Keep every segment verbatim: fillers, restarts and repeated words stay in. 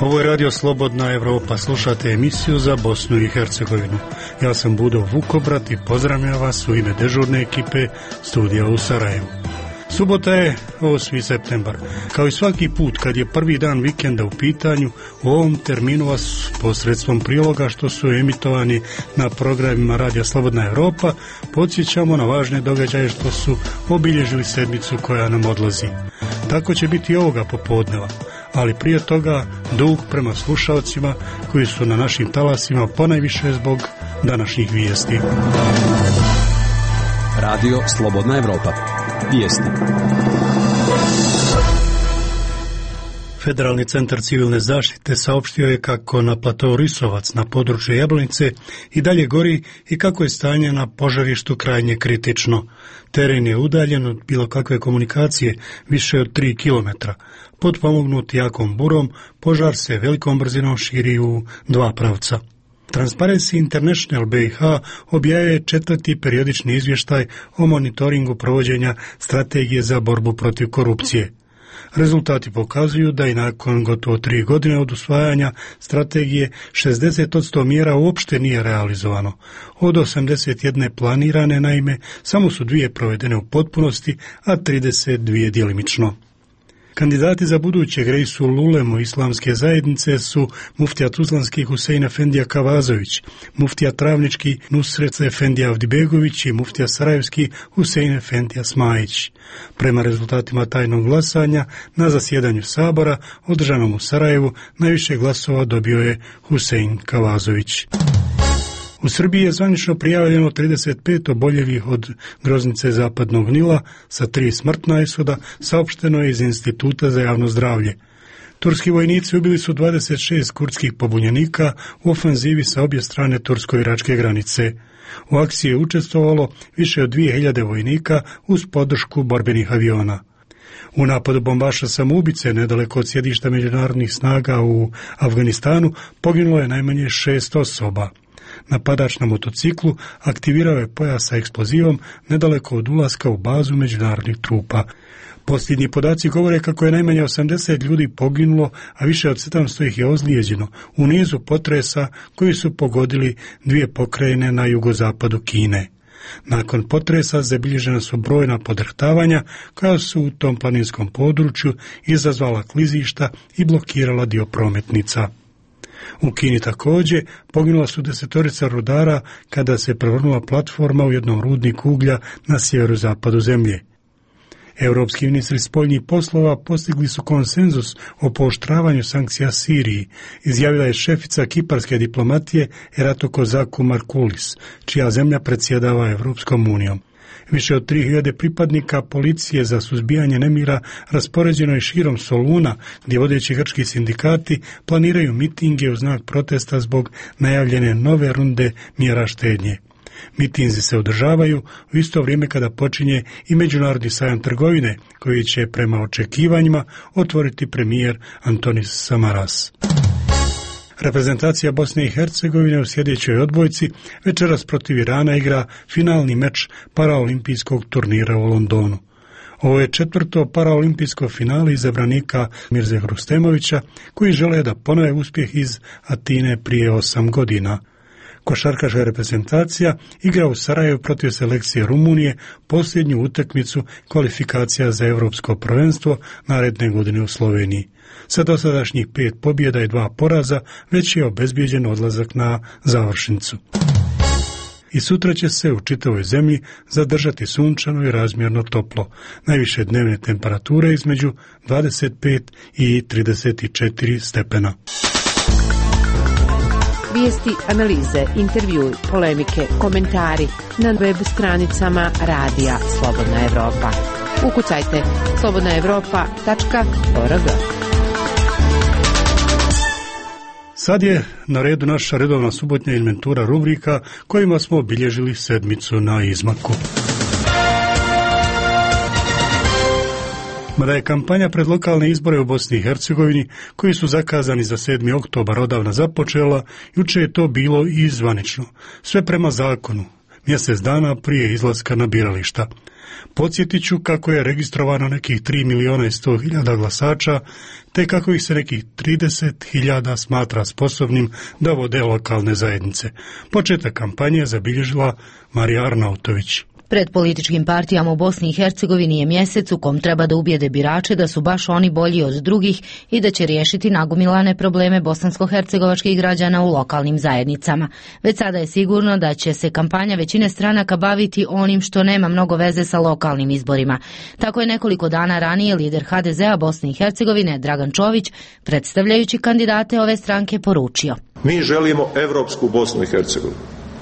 Ovo je Radio Slobodna Evropa, slušate emisiju za Bosnu i Hercegovinu. Ja sam Budo Vukobrat i pozdravljam vas u ime dežurne ekipe studija u Sarajevu. Subota je osmi septembar. Kao i svaki put kad je prvi dan vikenda u pitanju, u ovom terminu vas posredstvom priloga što su emitovani na programima Radija Slobodna Evropa podsjećamo na važne događaje što su obilježili sedmicu koja nam odlazi. Tako će biti ovoga popodneva, ali prije toga dug prema slušalcima koji su na našim talasima ponajviše zbog današnjih vijesti. Radio Slobodna Evropa. Vijesti. Federalni centar civilne zaštite saopštio je kako na platou Risovac na području Jablanice i dalje gori i kako je stanje na požarištu krajnje kritično. Teren je udaljen od bilo kakve komunikacije više od tri kilometra. Potpomognut jakom burom, požar se velikom brzinom širi u dva pravca. Transparency International B i H objavljuje četvrti periodični izvještaj o monitoringu provođenja strategije za borbu protiv korupcije. Rezultati pokazuju da i nakon gotovo tri godine od usvajanja strategije šezdeset posto mjera uopšte nije realizovano. Od osamdeset jedne planirane, naime, samo su dvije provedene u potpunosti, a trideset dvije djelimično. Kandidati za budućeg Reisul Ulemu islamske zajednice su muftija Tuzlanski Husein Efendija Kavazović, muftija Travnički Nusret Efendija Avdibegović i muftija Sarajevski Husein Efendija Smajić. Prema rezultatima tajnog glasanja na zasjedanju Sabora održanom u Sarajevu najviše glasova dobio je Husein Kavazović. U Srbiji je zvanično prijavljeno trideset pet oboljelih od groznice Zapadnog Nila sa tri smrtna ishoda, saopšteno je iz Instituta za javno zdravlje. Turski vojnici ubili su dvadeset šest kurdskih pobunjenika u ofenzivi sa obje strane tursko-iračke granice. U akciji je učestvovalo više od dvije hiljade vojnika uz podršku borbenih aviona. U napadu bombaša samoubice nedaleko od sjedišta međunarodnih snaga u Afganistanu poginulo je najmanje šest osoba. Napadač na motociklu aktivirao je pojas sa eksplozivom nedaleko od ulaska u bazu međunarodnih trupa. Posljednji podaci govore kako je najmanje osamdeset ljudi poginulo, a više od sedamsto ih je ozlijeđeno u nizu potresa koji su pogodili dvije pokrajine na jugozapadu Kine. Nakon potresa zabilježena su brojna podrhtavanja koja su u tom planinskom području izazvala klizišta i blokirala dio prometnica. U Kini također poginula su desetorica rudara kada se prevrnula platforma u jednom rudniku uglja na sjeverozapadu zemlje. Europski ministri spoljnih poslova postigli su konsenzus o pooštravanju sankcija Siriji, izjavila je šefica kiparske diplomatije Erato Kozaku Markulis, čija zemlja predsjedava Europskom unijom. Više od tri hiljade pripadnika policije za suzbijanje nemira raspoređeno je širom Soluna, gdje vodeći grčki sindikati planiraju mitinge u znak protesta zbog najavljene nove runde mjera štednje. Mitinzi se održavaju u isto vrijeme kada počinje i međunarodni sajam trgovine, koji će prema očekivanjima otvoriti premijer Antonis Samaras. Reprezentacija Bosne i Hercegovine u sljedećoj odbojci večeras protiv Irana igra finalni meč paraolimpijskog turnira u Londonu. Ovo je četvrto paraolimpijsko finale izabranika Mirze Hrustemovića, koji žele da ponove uspjeh iz Atine prije osam godina. Košarkaška reprezentacija igra u Sarajevu protiv selekcije Rumunije posljednju utakmicu kvalifikacija za europsko prvenstvo naredne godine u Sloveniji. Sa dosadašnjih pet pobjeda i dva poraza već je obezbijeđen odlazak na završnicu. I sutra će se u čitavoj zemlji zadržati sunčano i razmjerno toplo. Najviše dnevne temperature između dvadeset pet i trideset četiri stepena. Vijesti, analize, intervjui, polemike, komentari na web stranicama Radija Slobodna Evropa. Ukucajte slobodna evropa tačka org. Sad je na redu naša redovna subotnja inventura rubrika kojima smo obilježili sedmicu na izmaku. Mada je kampanja pred lokalne izbore u Bosni i Hercegovini, koji su zakazani za sedmi oktobar odavna započela, juče je to bilo i zvanično. Sve prema zakonu, mjesec dana prije izlaska na birališta. Podsjetit ću kako je registrovano nekih tri milijuna i sto hiljada glasača, te kako ih se nekih trideset hiljada smatra sposobnim da vode lokalne zajednice. Početak kampanje zabilježila Marija Arnautović. Pred političkim partijama u Bosni i Hercegovini je mjesec u kom treba da ubijede birače da su baš oni bolji od drugih i da će riješiti nagomilane probleme bosansko-hercegovačkih građana u lokalnim zajednicama. Već sada je sigurno da će se kampanja većine stranaka baviti onim što nema mnogo veze sa lokalnim izborima. Tako je nekoliko dana ranije lider ha de zea Bosne i Hercegovine Dragan Čović, predstavljajući kandidate ove stranke, poručio: Mi želimo evropsku Bosnu i Hercegovinu,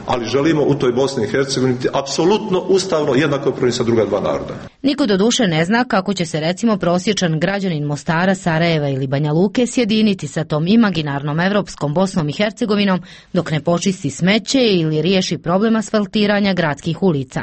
ali želimo u toj Bosni i Hercegovini apsolutno ustavno jednakopravni sa druga dva naroda. Niko doduše ne zna kako će se recimo prosječan građanin Mostara, Sarajeva ili Banja Luke sjediniti sa tom imaginarnom evropskom Bosnom i Hercegovinom dok ne počisti smeće ili riješi problem asfaltiranja gradskih ulica.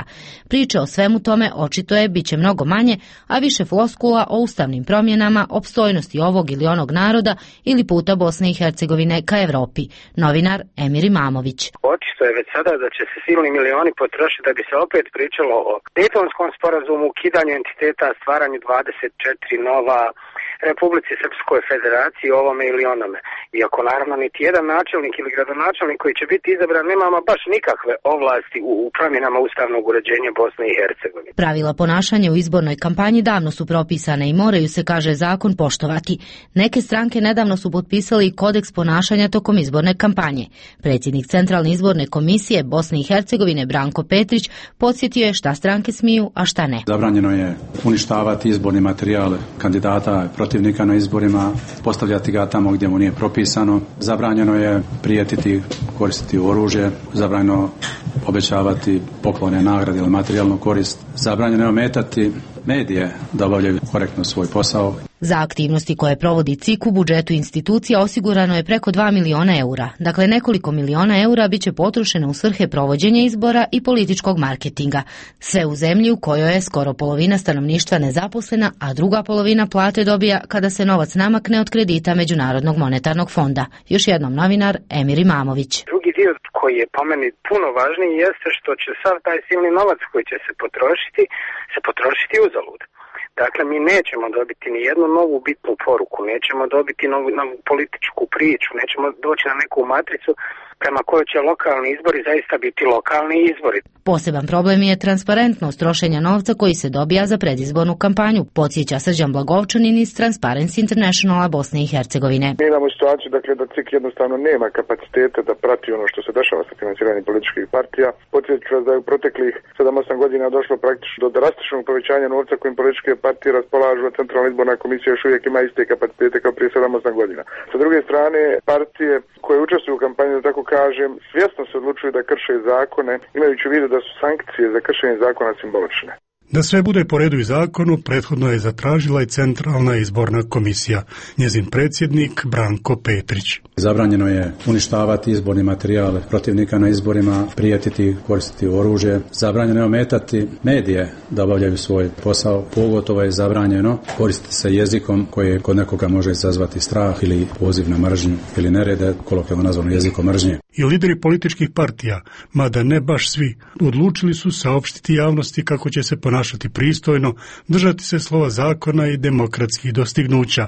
Priče o svemu tome očito je bit će mnogo manje, a više floskula o ustavnim promjenama, opstojnosti ovog ili onog naroda ili puta Bosne i Hercegovine ka Evropi. Novinar Emir Imamović. Očito je već sada da će se silni milioni potrošiti da bi se opet pričalo o Dejtonskom sporazumu, ukidanju entiteta, stvaranju dvadeset četiri nova, Republici Srpskoj Federaciji, ovome ili onome. Iako naravno niti jedan načelnik ili gradonačelnik koji će biti izabran nemamo baš nikakve ovlasti u, u promjenama ustavnog uređenja Bosne i Hercegovine. Pravila ponašanja u izbornoj kampanji davno su propisane i moraju se, kaže zakon, poštovati. Neke stranke nedavno su potpisali kodeks ponašanja tokom izborne kampanje. Predsjednik Centralne izborne komisije Bosne i Hercegovine Branko Petrić podsjetio je šta stranke smiju, a šta ne. Zabranjeno je uništavati izborni materijal kandidata protivnika na izborima, postavljati ga tamo gdje mu nije propisano. Zabranjeno je prijetiti, koristiti oružje, zabranjeno obećavati poklone, nagrade ili materijalnu korist. Zabranjeno je ometati medije da obavljaju korektno svoj posao. Za aktivnosti koje provodi C I K u budžetu institucija osigurano je preko dva miliona eura. Dakle, nekoliko miliona eura bit će potrošeno u svrhe provođenja izbora i političkog marketinga. Sve u zemlji u kojoj je skoro polovina stanovništva nezaposlena, a druga polovina plate dobija kada se novac namakne od kredita Međunarodnog monetarnog fonda. Još jednom novinar Emir Imamović. Drugi dio koji je po meni puno važniji jeste što će sav taj silni novac koji će se potrošiti, se potrošiti uzalud. Dakle, mi nećemo dobiti ni jednu novu bitnu poruku, nećemo dobiti novu, novu političku priču, nećemo doći na neku matricu prema kojoj će lokalni izbori zaista biti lokalni izbori. Poseban problem je transparentnost trošenja novca koji se dobija za predizbornu kampanju, podsjeća Srđan Blagovčanin iz Transparency Internationala Bosne i Hercegovine. Mi imamo situaciju dakle, da C I K jednostavno nema kapacitete da prati ono što se dešava sa financiranjem političkih partija. Podsjeću vas da je u proteklih sedam osam godina došlo praktično do drastičnog povećanja novca kojim političke partije raspolažu, a Centralna izborna komisija još uvijek ima iste kapacitete kao prije sedam osam godina. Sa druge strane, partije koje učestvuju u kampanji, da tako kažem, svjesno se odlučuju da krše zakone, imajući u vidu da su sankcije za kršenje zakona simbolične. Da sve bude po redu i zakonu, prethodno je zatražila i Centralna izborna komisija, njezin predsjednik Branko Petrić. Zabranjeno je uništavati izborni materijal protivnika na izborima, prijetiti, koristiti oružje. Zabranjeno je ometati medije da obavljaju svoj posao. Pogotovo je zabranjeno koristiti se jezikom koji kod nekoga može izazvati strah ili poziv na mržnju ili nerede, kolokvijalno nazvano jezikom mržnje. I lideri političkih partija, mada ne baš svi, odlučili su saopštiti javnosti kako će se ponašati pristojno, držati se slova zakona i demokratskih dostignuća.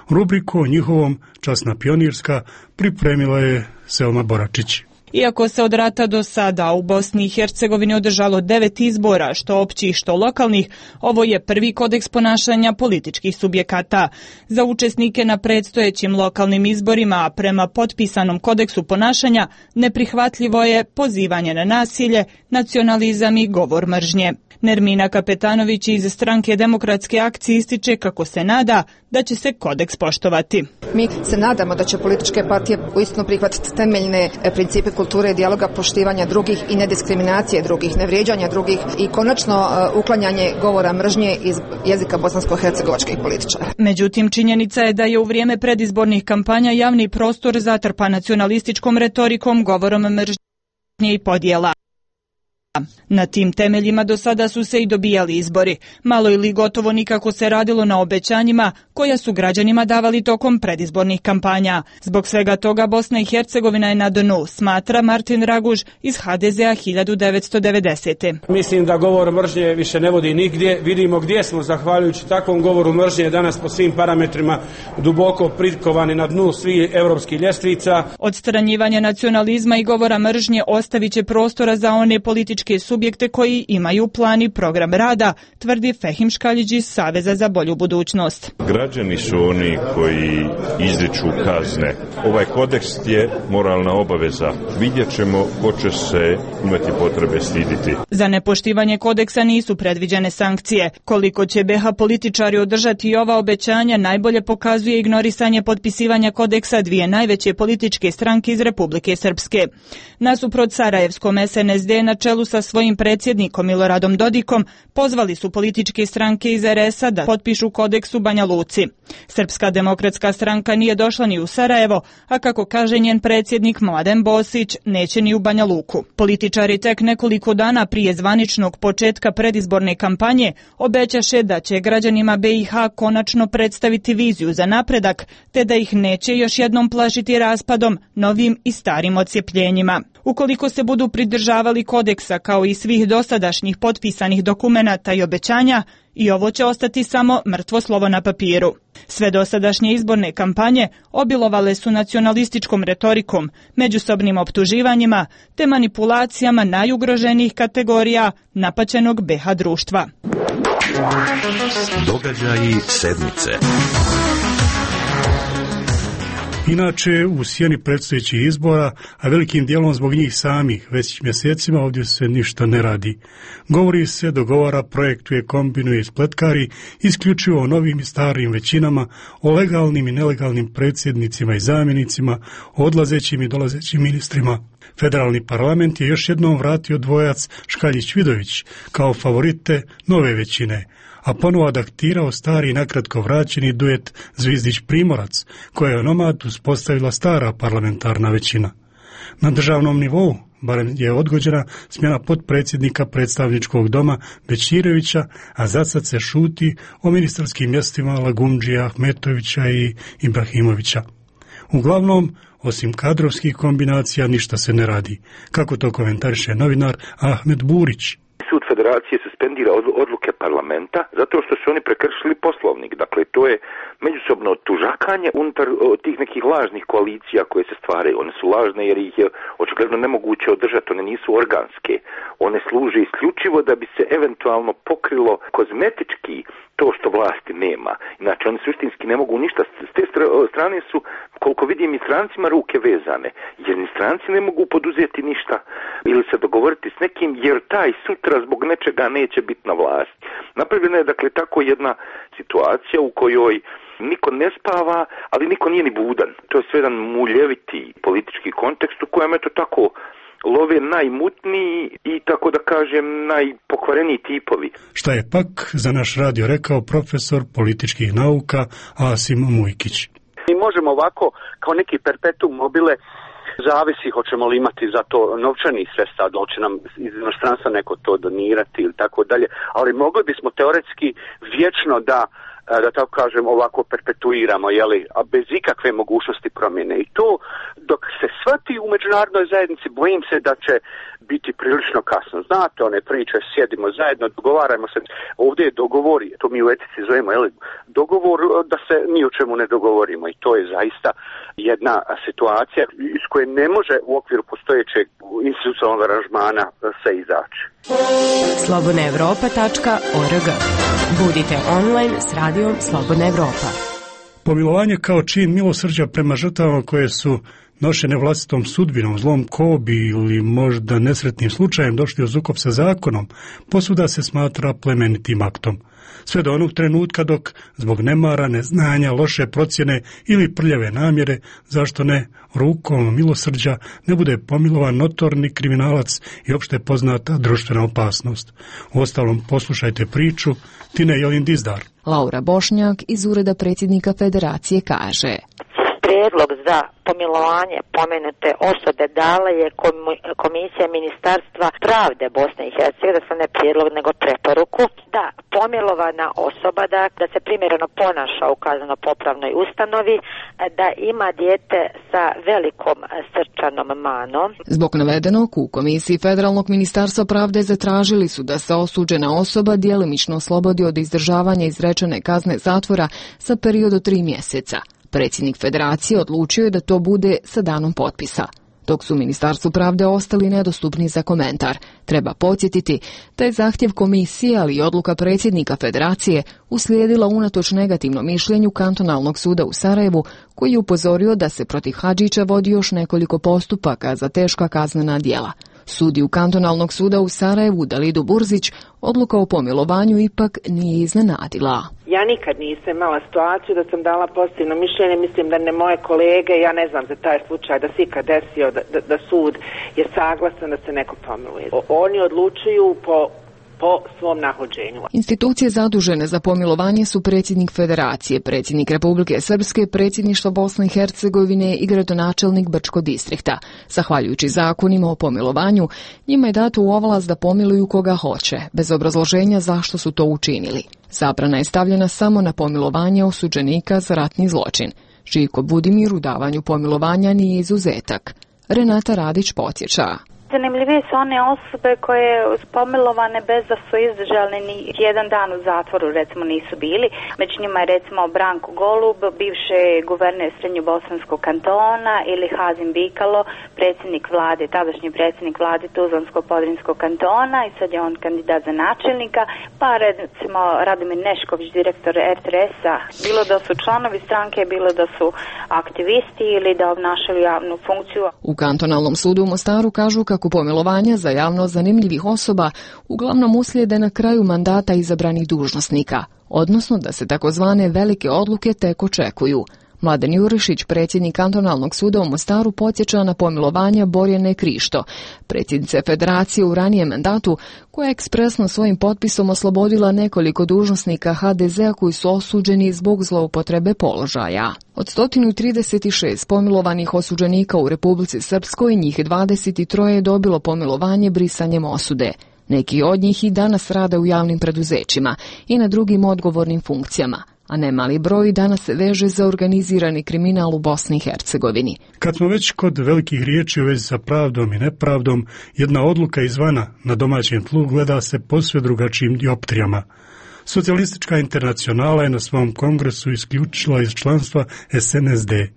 Rubriku o njihovom Časna pionirska pripremila je Selma Boračić. Iako se od rata do sada u Bosni i Hercegovini održalo devet izbora, što općih, što lokalnih, ovo je prvi kodeks ponašanja političkih subjekata. Za učesnike na predstojećim lokalnim izborima, a prema potpisanom kodeksu ponašanja, neprihvatljivo je pozivanje na nasilje, nacionalizam i govor mržnje. Nermina Kapetanović iz stranke Demokratske akcije ističe kako se nada da će se kodeks poštovati. Mi se nadamo da će političke partije uistinu prihvatiti temeljne principe kulture i dijaloga, poštivanja drugih i nediskriminacije drugih, nevrijeđanja drugih i konačno uklanjanje govora mržnje iz jezika bosansko-hercegovačkih političara. Međutim, činjenica je da je u vrijeme predizbornih kampanja javni prostor zatrpan nacionalističkom retorikom, govorom mržnje i podjela. Na tim temeljima do sada su se i dobijali izbori. Malo ili gotovo nikako se radilo na obećanjima koja su građanima davali tokom predizbornih kampanja. Zbog svega toga Bosna i Hercegovina je na dnu, smatra Martin Raguž iz ha de zea hiljadu devetsto devedesete. Mislim da govor mržnje više ne vodi nigdje. Vidimo gdje smo zahvaljujući takvom govoru mržnje danas po svim parametrima duboko prikovani na dnu svih europskih ljestvica. Odstranjivanje nacionalizma i govora mržnje ostavit će prostora za one političke subjekte koji imaju plan i program rada, tvrdi Fehim Škaljić iz Saveza za bolju budućnost. Građani su oni koji izriču kazne. Ovaj kodeks je moralna obaveza. Vidjet ćemo ko će se imati potrebe stiditi. Za nepoštivanje kodeksa nisu predviđene sankcije. Koliko će be ha političari održati ova obećanja najbolje pokazuje ignorisanje potpisivanja kodeksa dvije najveće političke stranke iz Republike Srpske. Nasuprot sarajevskom es en es de na čelu sa svojim predsjednikom Miloradom Dodikom pozvali su političke stranke iz er es a da potpišu kodeks u Banja Luci. Srpska demokratska stranka nije došla ni u Sarajevo, a kako kaže njen predsjednik Mladen Bosić, neće ni u Banja Luku. Političari tek nekoliko dana prije zvaničnog početka predizborne kampanje obećaše da će građanima be i ha konačno predstaviti viziju za napredak, te da ih neće još jednom plašiti raspadom, novim i starim odcjepljenjima. Ukoliko se budu pridržavali kodeksa kao i svih dosadašnjih potpisanih dokumenata i obećanja, i ovo će ostati samo mrtvo slovo na papiru. Sve dosadašnje izborne kampanje obilovale su nacionalističkom retorikom, međusobnim optuživanjima te manipulacijama najugroženijih kategorija napaćenog be ha društva. Događaji sedmice. Inače, u sjeni predstojećih izbora, a velikim dijelom zbog njih samih, već mjesecima ovdje se ništa ne radi. Govori se, dogovara, projektuje, kombinuje i spletkari isključivo o novim i starim većinama, o legalnim i nelegalnim predsjednicima i zamjenicima, o odlazećim i dolazećim ministrima. Federalni parlament je još jednom vratio dvojac Škaljić-Vidović kao favorite nove većine, a ponovo adaptirao stari i nakratko vraćeni duet Zvizdić-Primorac, koje je onomad uspostavila stara parlamentarna većina. Na državnom nivou barem je odgođena smjena potpredsjednika predstavničkog doma Bećirevića, a za sad se šuti o ministarskim mjestima Lagumdžija, Ahmetovića i Ibrahimovića. Uglavnom, osim kadrovskih kombinacija, ništa se ne radi. Kako to komentariše novinar Ahmed Burić? Sud federacije suspendira odluke parlamenta zato što su oni prekršili poslovnik. Dakle, to je međusobno tužakanje unutar tih nekih lažnih koalicija koje se stvaraju. One su lažne jer ih je očigledno nemoguće održati, one nisu organske. One služe isključivo da bi se eventualno pokrilo kozmetički to što vlasti nema. Inače, oni suštinski ne mogu ništa. S te strane su, koliko vidim, i strancima ruke vezane. Jer ni stranci ne mogu poduzeti ništa ili se dogovoriti s nekim, jer taj sutra zbog nečega neće biti na vlasti. Napravljena je, dakle, tako jedna situacija u kojoj niko ne spava, ali niko nije ni budan. To je sve jedan muljeviti politički kontekst u kojem je to tako love najmutniji i, tako da kažem, najpokvareniji tipovi. Šta je pak za naš radio rekao profesor političkih nauka Asim Mujkić? Mi možemo ovako, kao neki perpetuum mobile, zavisi hoćemo li imati za to novčanih sredstva, da će nam iz inostranstva neko to donirati ili tako dalje, ali mogli bismo teoretski vječno da da tako kažem ovako perpetuiramo, jeli, a bez ikakve mogućnosti promjene. I to dok se shvati u međunarodnoj zajednici, bojim se da će biti prilično kasno. Znate one priče, sjedimo zajedno, dogovarajmo se. Ovdje je dogovor, to mi u etici zovemo, jeli, dogovor da se ni o čemu ne dogovorimo. I to je zaista jedna situacija iz koje ne može u okviru postojećeg institucionalnog aranžmana se izaći. slobodna evropa tačka org. Budite online s radijom Slobodna Evropa. Pomilovanje kao čin milosrđa prema žrtvama koje su nošene vlastitom sudbinom, zlom kobi ili možda nesretnim slučajem došli u sukob sa zakonom, posvuda se smatra plemenitim aktom. Sve do onog trenutka dok, zbog nemara, neznanja, loše procjene ili prljave namjere, zašto ne, rukom milosrđa ne bude pomilovan notorni kriminalac i opšte poznata društvena opasnost. Uostalom, poslušajte priču Tine Jelin Dizdar. Laura Bošnjak iz Ureda predsjednika Federacije kaže: Prijedlog prijedlog za pomilovanje pomenute osobe dala je Komisija Ministarstva pravde Bosne i Hercegovine, ne prijedlog nego preporuku, da pomilovana osoba da, da se primjereno ponaša u kazneno-popravnoj ustanovi, da ima dijete sa velikom srčanom manom. Zbog navedenog u Komisiji Federalnog ministarstva pravde zatražili su da se osuđena osoba djelimično oslobodi od izdržavanja izrečene kazne zatvora sa period od tri mjeseca. Predsjednik Federacije odlučio je da to bude sa danom potpisa. Dok su Ministarstvu pravde ostali nedostupni za komentar. Treba podsjetiti da je zahtjev komisije, ali i odluka predsjednika Federacije uslijedila unatoč negativnom mišljenju Kantonalnog suda u Sarajevu, koji je upozorio da se protiv Hadžića vodi još nekoliko postupaka za teška kaznena djela. Sudiju Kantonalnog suda u Sarajevu, Dalidu Burzić, odluka o pomilovanju ipak nije iznenadila. Ja nikad nisam imala situaciju da sam dala pozitivno mišljenje, mislim da ne moje kolege, ja ne znam za taj slučaj da se ikad desio da, da, da sud je saglasan da se neko pomiluje. Oni odlučuju po po svom nahođenju. Institucije zadužene za pomilovanje su predsjednik Federacije, predsjednik Republike Srpske, predsjedništvo Bosne i Hercegovine i gradonačelnik Brčkog distrikta. Zahvaljujući zakonima o pomilovanju, njima je dato u ovlast da pomiluju koga hoće, bez obrazloženja zašto su to učinili. Zabrana je stavljena samo na pomilovanje osuđenika za ratni zločin. Žiko Budimir u davanju pomilovanja nije izuzetak. Renata Radić podsjeća. Zanimljivije su one osobe koje su pomilovane bez da su izdržali ni jedan dan u zatvoru, recimo nisu bili. Među njima je recimo Branko Golub, bivši guverner Srednjobosanskog kantona, ili Hazim Bikalo, predsjednik vlade, tadašnji predsjednik vlade Tuzlansko-Podrinskog kantona i sad je on kandidat za načelnika, pa recimo Radomir Nešković, direktor er te es-a, bilo da su članovi stranke, bilo da su aktivisti ili da obnašaju javnu funkciju. U Kantonalnom sudu u Mostaru kažu kako pomilovanja za javno zanimljivih osoba uglavnom uslijede na kraju mandata izabranih dužnosnika, odnosno da se takozvane velike odluke tek očekuju. Mladen Jurišić, predsjednik Kantonalnog suda u Mostaru, podsjeća na pomilovanja Borjane Krišto, predsjednice Federacije u ranijem mandatu, koja je ekspresno svojim potpisom oslobodila nekoliko dužnosnika ha de zea koji su osuđeni zbog zloupotrebe položaja. Od sto trideset šest pomilovanih osuđenika u Republici Srpskoj, njih dvadeset tri je dobilo pomilovanje brisanjem osude. Neki od njih i danas rade u javnim preduzećima i na drugim odgovornim funkcijama, a nemali broj danas se veže za organizirani kriminal u Bosni i Hercegovini. Kad smo već kod velikih riječi u vezi sa pravdom i nepravdom, jedna odluka izvana na domaćem tlu gleda se posve drugačijim dioptrijama. Socijalistička internacionala je na svom kongresu isključila iz članstva es en es de.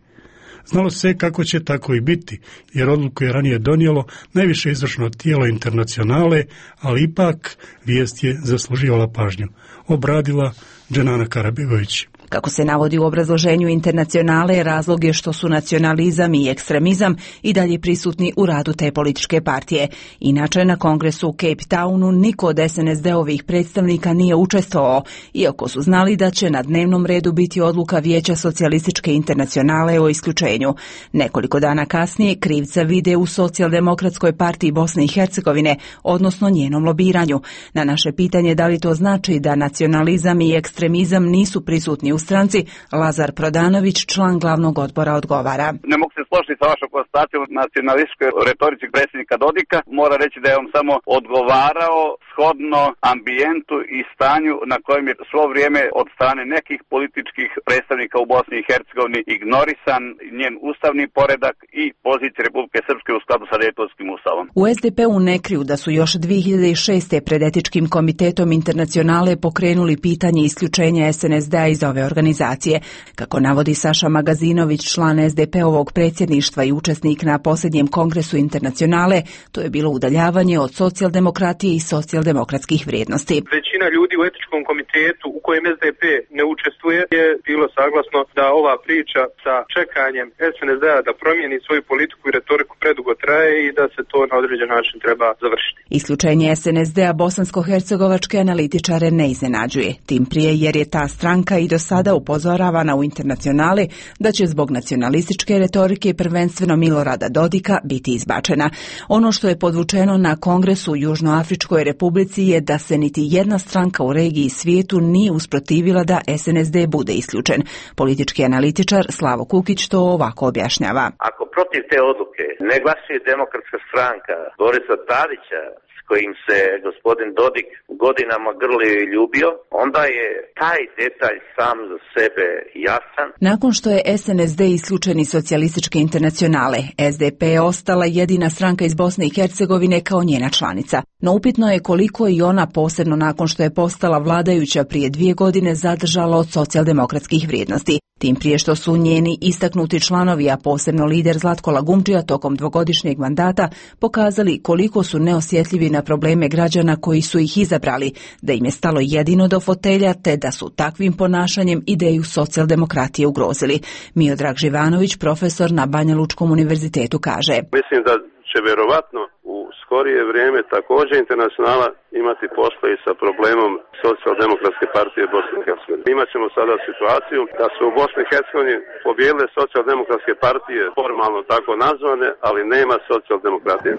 Znalo se kako će tako i biti, jer odluku je ranije donijelo najviše izvršno tijelo internacionale, ali ipak vijest je zasluživala pažnju. Obradila Dženana Karabegović. Kako se navodi u obrazloženju internacionale, razlog je što su nacionalizam i ekstremizam i dalje prisutni u radu te političke partije. Inače, na kongresu u Cape Townu niko od es en es de-ovih predstavnika nije učestvovao, iako su znali da će na dnevnom redu biti odluka Vijeća socijalističke internacionale o isključenju. Nekoliko dana kasnije krivca vide u Socijaldemokratskoj partiji Bosne i Hercegovine, odnosno njenom lobiranju. Na naše pitanje da li to znači da nacionalizam i ekstremizam nisu prisutni u stranci, Lazar Prodanović, član glavnog odbora, odgovara. Ne mogu se složiti sa vašom konstatacijom nacionalističkoj retorici predsjednika Dodika. Mora reći da je on samo odgovarao shodno ambijentu i stanju na kojem je svo vrijeme od strane nekih političkih predstavnika u Bosni i Hercegovini ignorisan njen ustavni poredak i pozicija Republike Srpske u skladu sa Dejtonskim ustavom. U es de pe-u ne kriju da su još dvije hiljade šeste. pred etičkim komitetom internacionale pokrenuli pitanje isključenja es en es de-a iz ove organizacije. Kako navodi Saša Magazinović, član es de pe-ovog predsjedništva i učesnik na posljednjem kongresu internacionale, to je bilo udaljavanje od socijaldemokratije i socijaldemokratskih vrijednosti. Većina ljudi u etičkom komitetu u kojem es de pe ne učestvuje je bilo saglasno da ova priča sa čekanjem es en es de-a da promijeni svoju politiku i retoriku predugo traje i da se to na određen način treba završiti. Isključenje es en es de a bosansko-hercegovačke analitičare ne iznenađuje, tim prije jer je ta stranka i do sada upozoravana u Internacionali da će zbog nacionalističke retorike i prvenstveno Milorada Dodika biti izbačena. Ono što je podvučeno na kongresu u Južnoafričkoj republici je da se niti jedna stranka u regiji i svijetu nije usprotivila da es en es de bude isključen. Politički analitičar Slavo Kukić to ovako objašnjava. Ako protiv te odluke ne glasuje Demokratska stranka Borisa Tadića, s kojim se gospodin Dodik godinama grlio i ljubio, onda je taj detalj sam za sebe jasan. Nakon što je es en es de isključen iz socijalističke internacionale, es de pe je ostala jedina stranka iz Bosne i Hercegovine kao njena članica. No upitno je koliko i ona, posebno nakon što je postala vladajuća prije dvije godine, zadržala od socijaldemokratskih vrijednosti. Tim prije što su njeni istaknuti članovi, a posebno lider Zlatko Lagumdžija tokom dvogodišnjeg mandata, pokazali koliko su neosjetljivi na probleme građana koji su ih izabrali, da im je stalo jedino do fotelja, te da su takvim ponašanjem ideju socijaldemokratije ugrozili. Miodrag Živanović, profesor na Banja Lučkom univerzitetu, kaže: Mislim da će vjerovatno u skorije vrijeme također Internacionala imati posla i sa problemom Socijaldemokratske partije Bosne i Hercegovine. Imat ćemo sada situaciju da su u Bosni i Hercegovini pobijedile Socijaldemokratske partije, formalno tako nazvane, ali nema socijaldemokratije.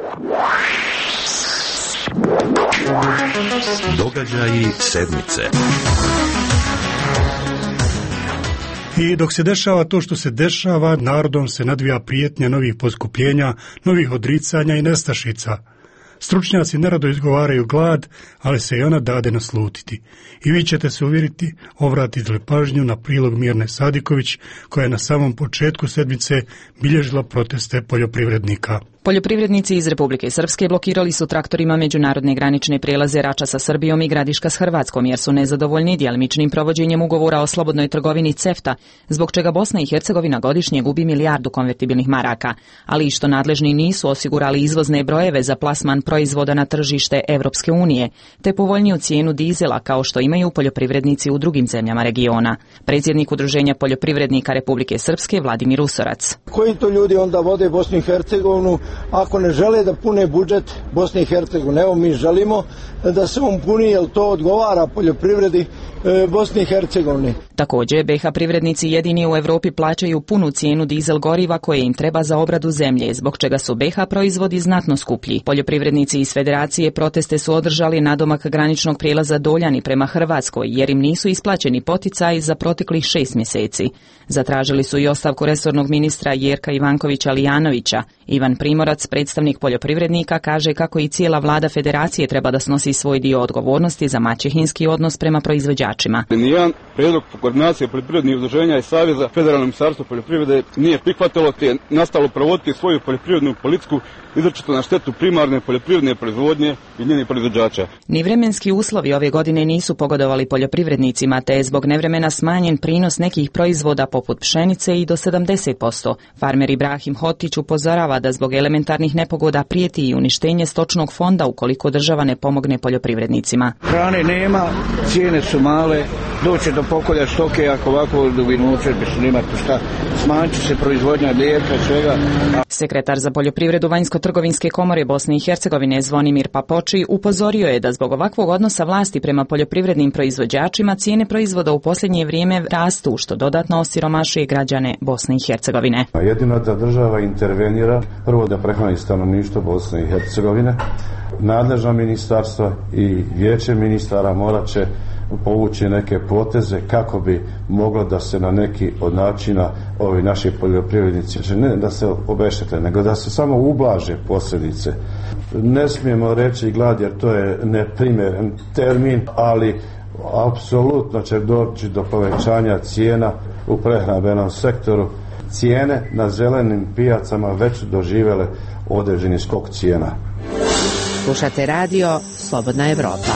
Događaji sedmice. I dok se dešava to što se dešava, narodom se nadvija prijetnja novih poskupljenja, novih odricanja i nestašica. Stručnjaci nerado izgovaraju glad, ali se i ona dade naslutiti. I vi ćete se uvjeriti, obratiti li pažnju na prilog Mirne Sadiković, koja je na samom početku sedmice bilježila proteste poljoprivrednika. Poljoprivrednici iz Republike Srpske blokirali su traktorima međunarodne granične prijelaze Rača sa Srbijom i Gradiška s Hrvatskom, jer su nezadovoljni djelimičnim provođenjem ugovora o slobodnoj trgovini CEFTA, zbog čega Bosna i Hercegovina godišnje gubi milijardu konvertibilnih maraka, ali i što nadležni nisu osigurali izvozne brojeve za plasman proizvoda na tržište Evropske unije, te povoljniju cijenu dizela kao što imaju poljoprivrednici u drugim zemljama regiona. Predsjednik Udruženja poljoprivrednika Republike Srpske Vladimir Usorac. Koji to ljudi onda vode Bosnu i Hercegovinu ako ne žele da pune budžet Bosne i Hercegovine? Evo, mi želimo da se on puni, jer to odgovara poljoprivredi Bosne i Hercegovine. Također, be ha privrednici jedini u Europi plaćaju punu cijenu dizel goriva koje im treba za obradu zemlje, zbog čega su be ha proizvodi znatno skuplji. Poljoprivrednici iz Federacije proteste su održali nadomak graničnog prijelaza Doljani prema Hrvatskoj, jer im nisu isplaćeni poticaji za proteklih šest mjeseci. Zatražili su i ostavku resornog ministra Jerka Ivankovića Lijanovića. Ivan Primorac, predstavnik poljoprivrednika, kaže kako i cijela vlada Federacije treba da snosi svoj dio odgovornosti za maćehinski odnos prema proizvođačima. Nijedan prijedlog koordinacije poljoprivrednih udruženja i Saveza Federalno ministarstvo poljoprivrede nije prihvatilo, te je nastalo provoditi svoju poljoprivrednu politiku izričito na štetu primarne poljoprivredne proizvodnje i njenih proizvođača. Ni vremenski uslovi ove godine nisu pogodovali poljoprivrednicima, te je zbog nevremena smanjen prinos nekih proizvoda poput pšenice i do sedamdeset posto. Farmer Ibrahim Hotić upozorava da zbog elementarnih nepogoda prijeti i uništenje stočnog fonda ukoliko država ne pomogne poljoprivrednicima. Hrane nema, cijene su male, doće do pokolja stoke, ako ovako dubinuće bi se nimati šta, smanjit se proizvodnja mlijeka, svega. Sekretar za poljoprivredu Vanjsko-trgovinske komore Bosne i Hercegovine Zvonimir Papoči upozorio je da zbog ovakvog odnosa vlasti prema poljoprivrednim proizvođačima cijene proizvoda u posljednje vrijeme rastu, što dodatno osiromašuje građane Bosne i Hercegovine. Jedino da država intervenira, prvo da prehrani stanovništvo Bosne i Hercegovine, nadležna ministarstva i vijeće ministara morat će povući neke poteze kako bi moglo da se na neki od načina ovi naši poljoprivrednici, ne da se obeštete, nego da se samo ublaže posljedice. Ne smijemo reći glad jer to je neprimjeren termin, ali apsolutno će doći do povećanja cijena u prehrambenom sektoru. Cijene na zelenim pijacama već doživjele određeni skok cijena. Slušate radio Slobodna Evropa.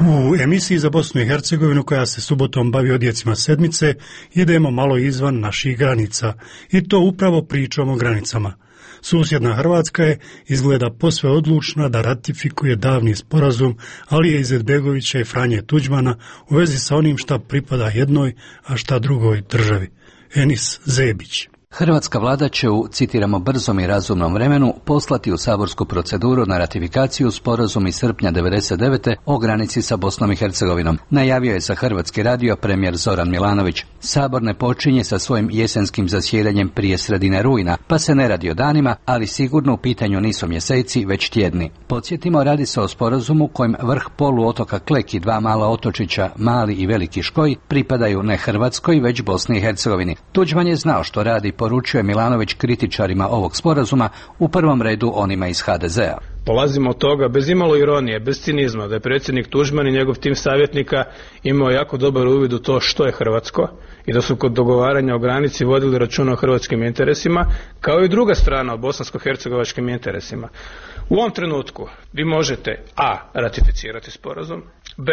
U emisiji za Bosnu i Hercegovinu, koja se subotom bavi odjecima sedmice, idemo malo izvan naših granica. I to upravo pričom o granicama. Susjedna Hrvatska je izgleda posve odlučna da ratifikuje davni sporazum Alije Izetbegovića i Franje Tuđmana u vezi sa onim šta pripada jednoj, a šta drugoj državi. Enis Zebić. Hrvatska vlada će u, citiramo, brzom i razumnom vremenu poslati u saborsku proceduru na ratifikaciju sporazum iz srpnja devedeset devete o granici sa Bosnom i Hercegovinom. Najavio je za Hrvatski radio premijer Zoran Milanović. Sabor ne počinje sa svojim jesenskim zasjedanjem prije sredine rujna, pa se ne radi o danima, ali sigurno u pitanju nisu mjeseci, već tjedni. Podsjetimo, radi se o sporazumu kojem vrh poluotoka Klek i dva mala otočića, Mali i Veliki Škoj, pripadaju ne Hrvatskoj, već Bosni i Hercegovini. Tuđman je znao što radi, poručuje Milanović kritičarima ovog sporazuma, u prvom redu onima iz ha de ze a. Polazimo od toga, bez imalo ironije, bez cinizma, da je predsjednik Tuđman i njegov tim savjetnika imao jako dobar uvid u to što je hrvatsko i da su kod dogovaranja o granici vodili računa o hrvatskim interesima, kao i druga strana o bosansko-hercegovačkim interesima. U ovom trenutku vi možete a. ratificirati sporazum, b.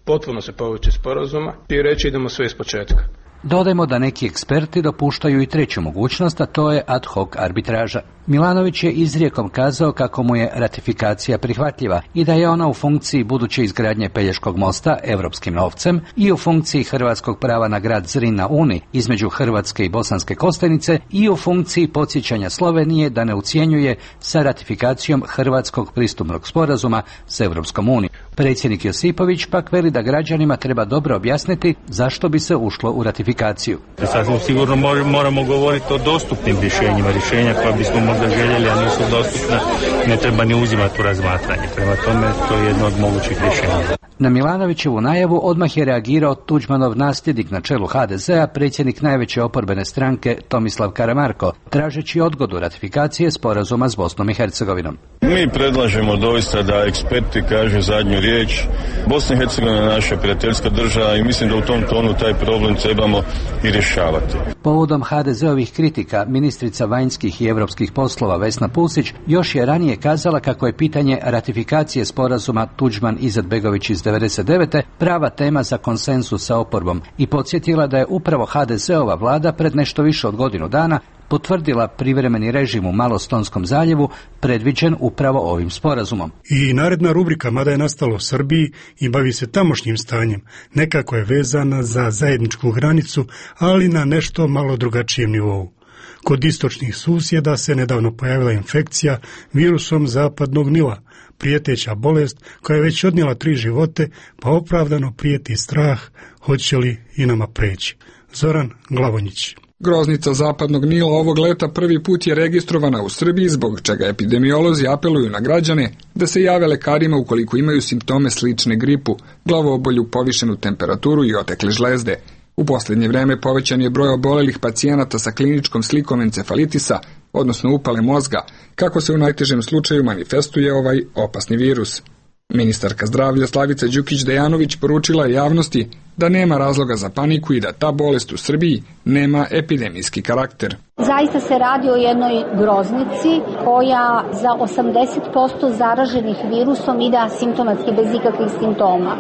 potpuno se povući sporazuma i reći idemo sve iz početka. Dodajmo da neki eksperti dopuštaju i treću mogućnost, a to je ad hoc arbitraža. Milanović je izrijekom kazao kako mu je ratifikacija prihvatljiva i da je ona u funkciji buduće izgradnje Pelješkog mosta europskim novcem i u funkciji hrvatskog prava na grad Zrin na Uni između Hrvatske i Bosanske Kostajnice i u funkciji podsjećanja Slovenije da ne ucjenjuje sa ratifikacijom hrvatskog pristupnog sporazuma s Europskom unijom. Predsjednik Josipović pak veli da građanima treba dobro objasniti zašto bi se ušlo u ratifikaciju. Sasvim sigurno moramo govoriti o dostupnim rješenjima, rješenja koja bismo možda željeli, a nisu dostupna, ne treba ni uzimati u razmatranje. Prema tome, to je jedno od mogućih rješenja. Na Milanovićevu najavu odmah je reagirao Tuđmanov nasljednik na čelu ha de ze a, predsjednik najveće oporbene stranke Tomislav Karamarko, tražeći odgodu ratifikacije sporazuma s Bosnom i Hercegovinom. Mi predlažemo doista da eksperti kažu zadnju riječ. Bosna i Hercegovina je naša prijateljska država i mislim da u tom tonu taj problem trebamo i rješavati. Povodom ha de ze ovih kritika, ministrica vanjskih i europskih poslova Vesna Pusić još je ranije kazala kako je pitanje ratifikacije sporazuma Tuđman-Izetbegović iz devedeset devete prava tema za konsenzus sa oporbom i podsjetila da je upravo ha de ze ova vlada pred nešto više od godinu dana potvrdila privremeni režim u Malostonskom zaljevu predviđen upravo ovim sporazumom. I naredna rubrika, mada je nastala u Srbiji i bavi se tamošnjim stanjem, nekako je vezana za zajedničku granicu, ali na nešto malo drugačijem nivou. Kod istočnih susjeda se nedavno pojavila infekcija virusom zapadnog Nila, prijeteća bolest koja je već odnijela tri živote, pa opravdano prijeti strah hoće li i nama preći. Zoran Glavonjić. Groznica zapadnog Nila ovog leta prvi put je registrovana u Srbiji, zbog čega epidemiolozi apeluju na građane da se jave lekarima ukoliko imaju simptome slične gripu, glavobolju, povišenu temperaturu i otekle žlezde. U posljednje vreme povećan je broj obolelih pacijenata sa kliničkom slikom encefalitisa, odnosno upale mozga, kako se u najtežem slučaju manifestuje ovaj opasni virus. Ministarka zdravlja Slavica Đukić-Dejanović poručila je javnosti da nema razloga za paniku i da ta bolest u Srbiji nema epidemijski karakter. Zaista se radi o jednoj groznici koja za osamdeset posto zaraženih virusom ide asimptomatski bez ikakvih simptoma.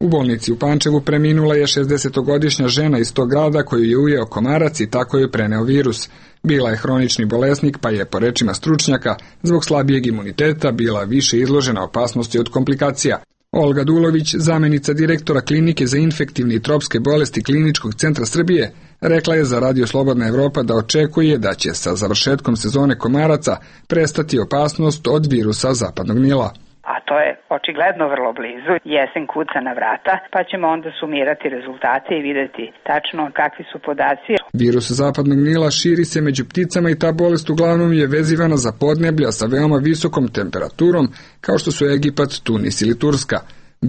U bolnici u Pančevu preminula je šezdesetogodišnja žena iz tog grada koju je ujeo komarac i tako je preneo virus. Bila je hronični bolesnik, pa je, po rečima stručnjaka, zbog slabijeg imuniteta bila više izložena opasnosti od komplikacija. Olga Dulović, zamjenica direktora klinike za infektivne i tropske bolesti Kliničkog centra Srbije, rekla je za Radio Slobodna Evropa da očekuje da će sa završetkom sezone komaraca prestati opasnost od virusa zapadnog Nila. A to je očigledno vrlo blizu, jesen kuca na vrata, pa ćemo onda sumirati rezultate i vidjeti tačno kakvi su podaci. Virus zapadnog Nila širi se među pticama i ta bolest uglavnom je vezivana za podneblja sa veoma visokom temperaturom, kao što su Egipat, Tunis ili Turska.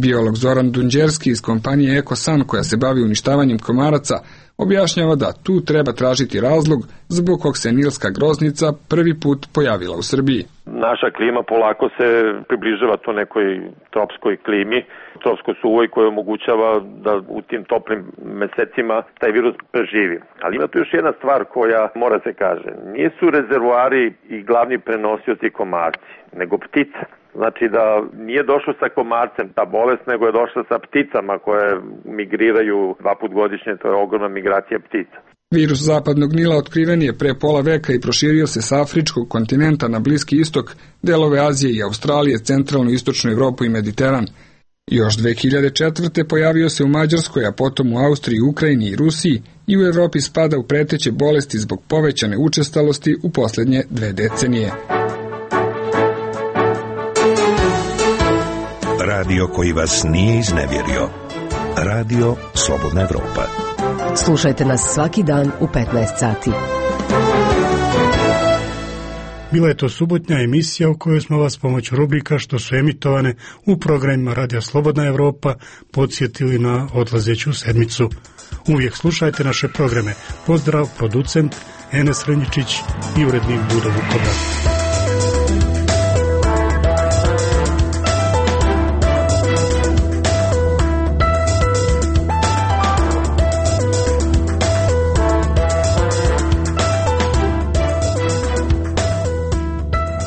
Biolog Zoran Dunđerski iz kompanije Ekosan, koja se bavi uništavanjem komaraca, objašnjava da tu treba tražiti razlog zbog kog se nilska groznica prvi put pojavila u Srbiji. Naša klima polako se približava to nekoj tropskoj klimi, tropskoj suvoj koja omogućava da u tim toplim mesecima taj virus preživi. Ali ima tu još jedna stvar koja mora se kaže. Nisu rezervoari i glavni prenosioci komarci, nego ptice. Znači da nije došlo sa komarcem ta bolest, nego je došla sa pticama koje migriraju dva put godišnje, to je ogromna migracija ptica. Virus zapadnog Nila otkriven je pre pola veka i proširio se sa afričkog kontinenta na Bliski istok, delove Azije i Australije, centralnu istočnu Evropu i Mediteran. Još dve hiljade četvrte pojavio se u Mađarskoj, a potom u Austriji, Ukrajini i Rusiji i u Europi spada u preteće bolesti zbog povećane učestalosti u posljednje dve decenije. Radio koji vas nije iznevjerio. Radio Slobodna Evropa. Slušajte nas svaki dan u petnaest sati. Bila je to subotnja emisija u kojoj smo vas pomoću rubrika što su emitovane u programima Radio Slobodna Evropa podsjetili na odlazeću sedmicu. Uvijek slušajte naše programe. Pozdrav, producent Enes Renjičić i urednik Budo Vukovar.